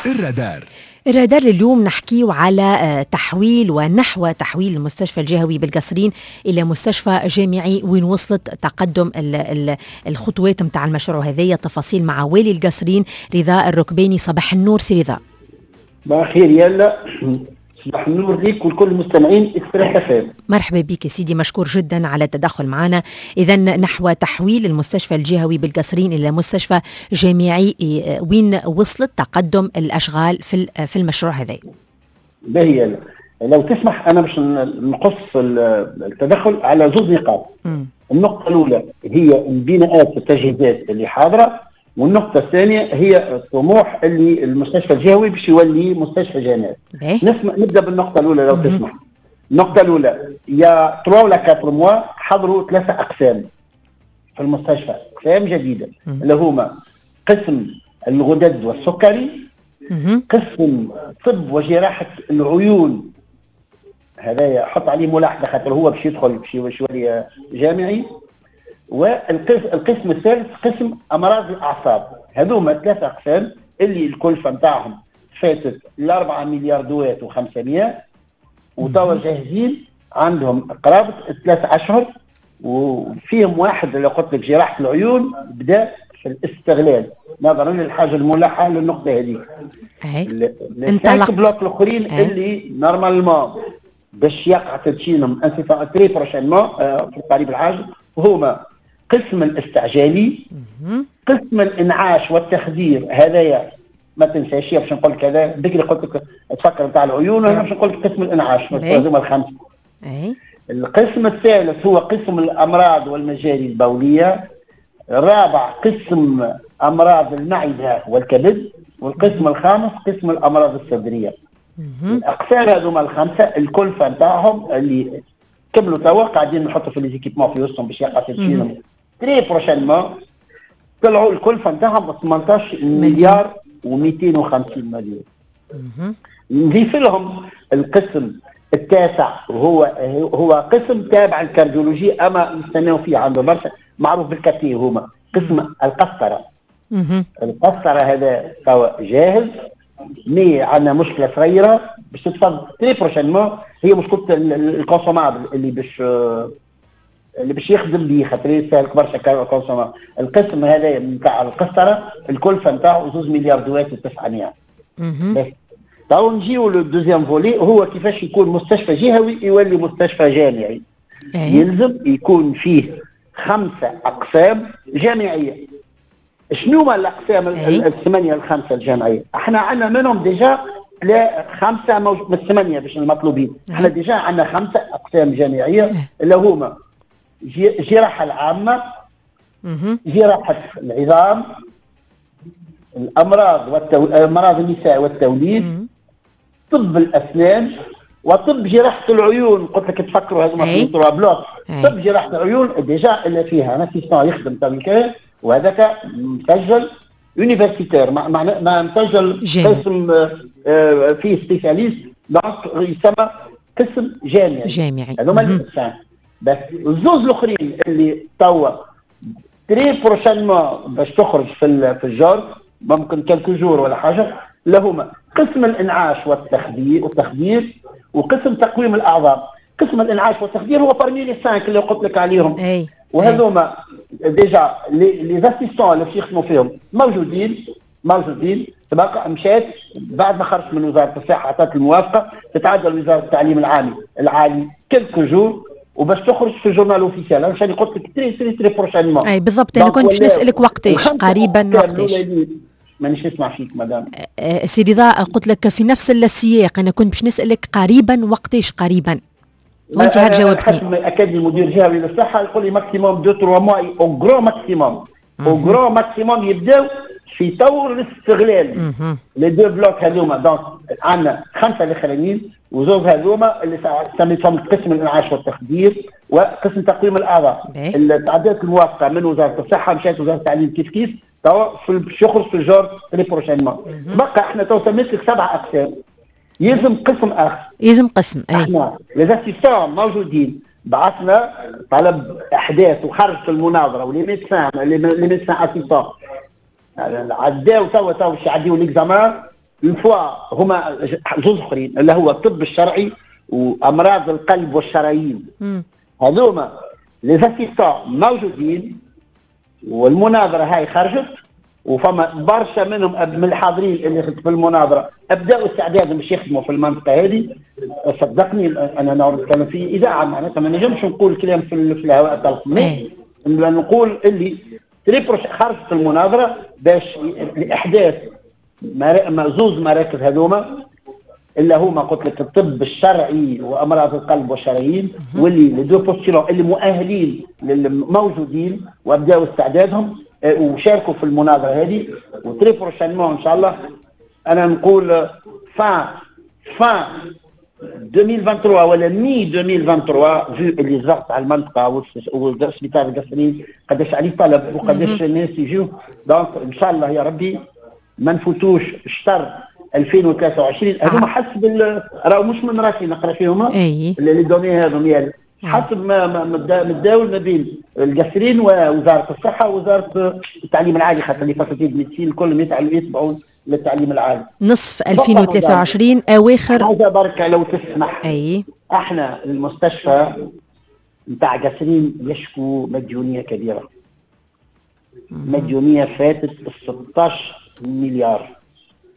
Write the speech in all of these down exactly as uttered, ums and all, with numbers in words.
الرادار. الرادار اليوم نحكيو على آه، تحويل ونحو تحويل المستشفى الجهوي بالقصرين الى مستشفى جامعي، وين وصلت تقدم الخطوات نتاع المشروع هذايا. تفاصيل مع والي القصرين رضا الركباني. صباح النور سي رضا. صباح الخير يلا، صباح النور ليك ولكل المستمعين اكسبريس اف. مرحبا بك سيدي، مشكور جدا على التدخل معنا. اذا نحو تحويل المستشفى الجهوي بالقصرين الى مستشفى جامعي، وين وصلت تقدم الاشغال في في المشروع هذا؟ باهي، لو تسمح انا باش نقص التدخل على زوج نقاط. النقطة الاولى هي البناءات والتجهيزات اللي حاضره، والنقطة الثانية هي الطموح اللي المستشفى الجهوي باش يولي مستشفى جامعي. نسمع نبدا بالنقطة الأولى لو تسمح. النقطة الأولى، il y a ثلاثة ولا أربعة mois حضروا ثلاثة أقسام في المستشفى، أقسام جديدة اللي هما قسم الغدد والسكري، قسم طب وجراحة العيون، هذا حط عليه ملاحظة خاطر هو باش يدخل باش يولي جامعي، والقسم الثالث قسم امراض الاعصاب. هذوما ثلاثة اقسام اللي الكلفة نتاعهم فاتت الأربعة مليار دوات وخمسمية، وتوا جاهزين عندهم قرابة ثلاث اشهر، وفيهم واحد اللي قلت لك جراحه العيون بدا في الاستغلال نظرا للحاجة الملحة للنقطة هذيك. انطلق blocs الاخرين اللي normalement باش يقع تدشينهم incessamment très prochainement في القريب العاجل هما قسم الاستعجالي، قسم الانعاش والتخدير. هذايا ما تنساش باش نقول لك هذا بكري قلت لك تفكر نتاع العيون، وانا باش نقول لك قسم الانعاش، هذوما الخمسة. القسم الثالث هو قسم الامراض والمجاري البوليه، الرابع قسم امراض المعدة والكبد، والقسم الخامس قسم الامراض الصدرية. الاقسام هذوما الخمسة الكلفة نتاعهم اللي كملوا توا قاعدين نحطوا في les équipements في وسطهم باش يقع تدشينهم très prochainement، طلعوا الكلفة نتاعهم ثمنطاش مليار ومئتين وخمسين مليون. نضيف لهم القسم التاسع، وهو هو قسم تابع ال cardiologie اما نستناو فيه عنده برشا، معروف بالكاتي، هما قسم القسطره. القسطرة هذا توا جاهز، mais عندنا مشكلة صغيرة باش تتفض très prochainement، هي مشكلة ال consommable اللي باش اللي باش يخدم به، خاطر يستهلك برشا consommable. القسم هذا نتاع القسطرة الكلفة نتاعو زوز مليار دوات وتسعمية. بس تو نجيو لل deuxième volet، هو كيفاش يكون مستشفى جهوي يولي مستشفى جامعي. أيه. يلزم يكون فيه خمسة اقسام جامعيه. شنو هما الاقسام الثمانية الخمسة الجامعية؟ احنا عندنا منهم déjà لا خمسة من الثمانية باش المطلوبين، احنا déjà عندنا خمسة اقسام جامعية اللي هما جراحه العامه، جراحه العظام، الامراض والتو... امراض النساء والتوليد، طب الاسنان، وطب جراحه العيون. قلت لك تفكروا هذوما في trois blocs. طب جراحه العيون déjà اللي فيها un assistant يخدم تويكا، وهذاك مسجل universitaire، ما ما مسجل قسم آه، فيه spécialiste، donc يسمى قسم جامعي. جامعي. هذوما الاقسام. بس الزوز الاخرين اللي توا très prochainement باش تخرج في في ال JORT، ممكن quelques jours ولا حاجه، اللي هما قسم الانعاش والتخدير والتخدير وقسم تقويم الاعضاء. قسم الانعاش والتخدير هو parmi les cinq اللي قلت لك عليهم. اي وهذوما déjà les assistants اللي باش يخدموا فيهم موجودين موجودين. تبقى مشات بعد ما خرجت من وزارة الصحه، عطت الموافقه، تتعدى لوزارة التعليم العالي العالي quelques jours وباش تخرج في ال journal officiel. انا عشان قلت لك très très très prochainement. اي بالضبط، انا كنت باش نسالك وقتاش قريبا، وقتاش. مانيش نسمع فيك مدام. أه، سي رضا، قلت لك في نفس السياق، انا كنت باش نسالك قريبا، وقتاش قريبا، وانت هاك جاوبتني. حسب ما اكد المدير الجهوي للصحة يقول لي maximum deux trois mois، au grand maximum، au grand maximum يبداو في طور الاستغلال les deux blocs هذوما. donc عندنا خمسة الاخرانيين وزوج هذوما اللي سميتهم قسم الانعاش والتخدير وقسم تقويم الاعضاء، اللي تعدات الموافقة من وزارة الصحه، مشات وزارة التعليم كيف كيف، توا باش يخرج في ال JORT très prochainement. بقى احنا تو سميت لك سبع اقسام، يلزم قسم اخر. يلزم قسم، اي. احنا les assistants موجودين، بعثنا طلب احداث وخرجت المناظره، و les médecins les médecins assistants عداو توا توا باش يعديو l'examen. une fois هما زوز اخرين اللي هو الطب الشرعي وامراض القلب والشرايين، هذوما les assistants موجودين والمناظرة هاي خرجت، وفما برشا منهم من الحاضرين اللي في المناظرة ابداوا استعدادهم باش يخدموا في المنطقة هذه. صدقني انا نتكلم في اذاعة معناتها ما نجمش نقول كلام في, في الهواء الطلق، نقول اللي très proche خرجت المناظرة باش لاحداث زوز مراكز هذوما اللي هما قلت لك الطب الشرعي وامراض القلب والشرايين، واللي les deux postulants اللي مؤهلين موجودين وابداوا استعدادهم وشاركوا في المناظرة هذه. و très prochainement ان شاء الله انا نقول fin fin ألفين وثلاثة وعشرين ولا mi ألفين وثلاثة وعشرين، vu اللي الضغط على المنطقة والسبيطار القصرين قداش عليه طلب وقداش الناس يجيو، donc ان شاء الله يا ربي ما نفوتوش شطر ألفين وثلاثة وعشرين. هذوما حسب راهو مش من راسي نقرا فيهم les données هذوما، يعني حسب ما متداول ما بين القصرين ووزارة الصحة ووزارة التعليم العالي، خاطر les facultés de médecine الكل يتبعون للتعليم العالي. نصف ألفين وثلاثة وعشرين اواخر. حاجة بركة لو تسمح، اي احنا المستشفى نتاع قصرين يشكو مديونية كبيرة، مديونية فاتت ستة عشر مليار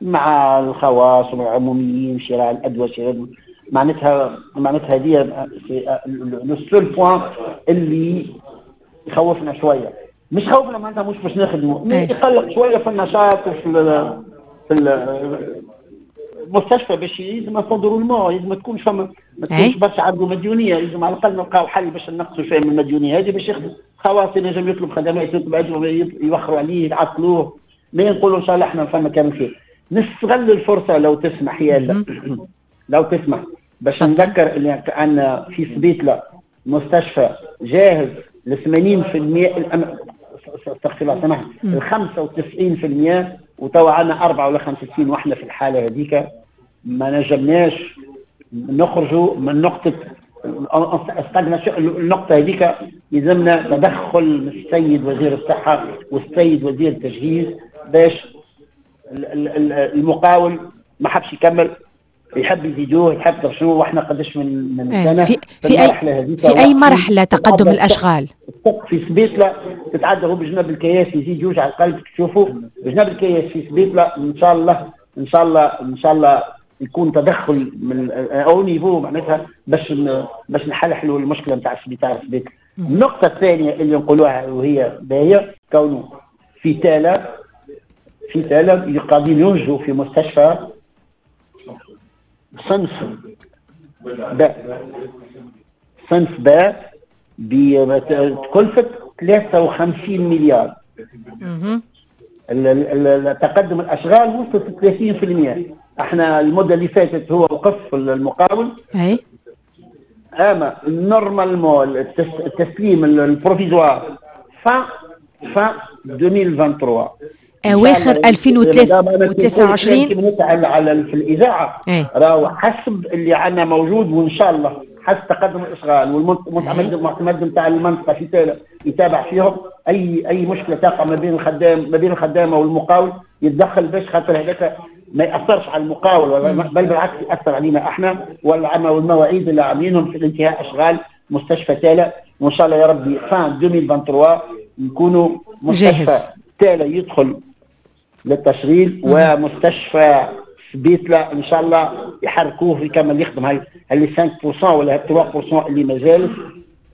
مع الخواص والعموميين، شراء الادوية، شراء معناتها معناتها هذه le seul point اللي يخوفنا شوية، مش خوفنا معناتها مش باش نخدموا، يقلق شوية في النشاط وفي في المستشفى، باش لازم roulement، لازم ما تكونش فما ما تكونش برشا عنده مديونية، لازم على الاقل نلقاو حل باش نقصوا شوية من المديونيه هذه باش يخدم خواص، ينجم يطلب خدمات، يطلب يوخروا عليه يعطلوه، ما نقولوا ان شاء الله احنا فما كان خير. نستغل الفرصة لو تسمح يا لو تسمح باش نذكر اللي عندنا في سبيطله مستشفى جاهز ل ثمانين بالمئة، استغفر الله سامحني، ال خمسة وتسعين بالمئة، وتوا عندنا أربعة ولا خمسة وستين، واحنا في الحالة هذيك ما نجمناش نخرجوا من نقطة النقطة هذيك. يلزمنا تدخل من السيد وزير الصحة والسيد وزير التجهيز باش المقاول ما حبش يكمل، يحب يزيدوه، يحب شنو، واحنا قداش من من سنة في في, في اي في اي مرحلة تقدم الاشغال في سبيطله تتعدى هو بجنب الكياس يزيد يوجع القلب، تشوفوا بجنب الكياس في سبيطله. ان شاء الله ان شاء الله ان شاء الله يكون تدخل من haut niveau معناتها باش باش نحلحلوا المشكلة نتاع السبيطار سبيطله. النقطة الثانية اللي نقولوها وهي باهيه، كونه في تالا في تالا قاعدين ينجوا في مستشفى صنف باء، صنف باء بكلفة ثلاثة وخمسين مليار. تقدم الأشغال وصلت ثلاثين بالمئة. احنا المدة اللي فاتت هو وقف المقاول، اي اما normalement التسليم ال provisoire fin fin ألفين وثلاثة وعشرين، اواخر ألفين وثلاثة وعشرين على على في الاذاعة راهو حسب اللي عندنا موجود، وان شاء الله حسب تقدم الاشغال والمعتمد المعتمد نتاع المنطقة في تالا يتابع فيهم، اي اي مشكلة تقع ما بين الخدام ما بين الخدامة والمقاول يتدخل باش خاطر هذاك ما ياثرش على المقاول ولا بل بالعكس ياثر علينا احنا والمواعيد اللي عاملينهم في الانتهاء اشغال مستشفى تالا. وان شاء الله يا ربي fin ألفين وثلاثة وعشرين نكونوا مستشفى تالا يدخل للتشغيل، ومستشفى سبيطله ان شاء الله يحركوه يكمل يخدم هاي اللي خمسة بالمئة ولا ثلاثة بالمئة اللي مازال،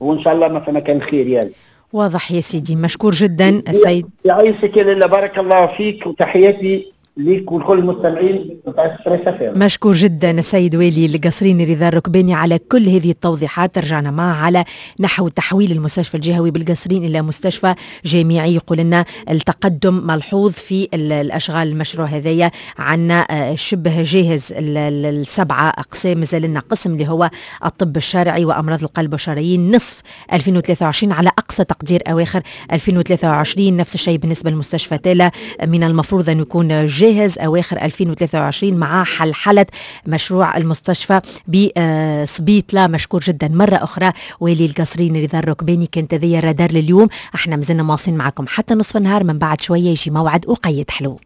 وان شاء الله ما فما كان خير يعني. واضح يا سيدي، مشكور جدا السيد. يعيشك يا لاله، بارك الله فيك وتحياتي ليك ولكل المستمعين نتاع Express FM. مشكور جدا السيد والي القصريني رضا الركباني على كل هذه التوضيحات. رجعنا معه على نحو تحويل المستشفى الجهوي بالقصرين الى مستشفى جامعي. يقول لنا التقدم ملحوظ في الاشغال المشروع هذايا، عندنا شبه جاهز السبعة اقسام، مازال لنا قسم اللي هو الطب الشرعي وامراض القلب والشرايين نصف ألفين وثلاثة وعشرين على اقصى تقدير اواخر ألفين وثلاثة وعشرين. نفس الشيء بالنسبة لمستشفى تالا، من المفروض ان يكون جاهز أواخر ألفين وثلاثة وعشرين مع حلحلة مشروع المستشفى بسبيطلة. مشكور جدا مرة أخرى والي القصرين رضا الركباني. كانت هذه الرادار لليوم، احنا مازلنا مواصلين معكم حتى نصف النهار، من بعد شوية يجي موعد وقيت حلو.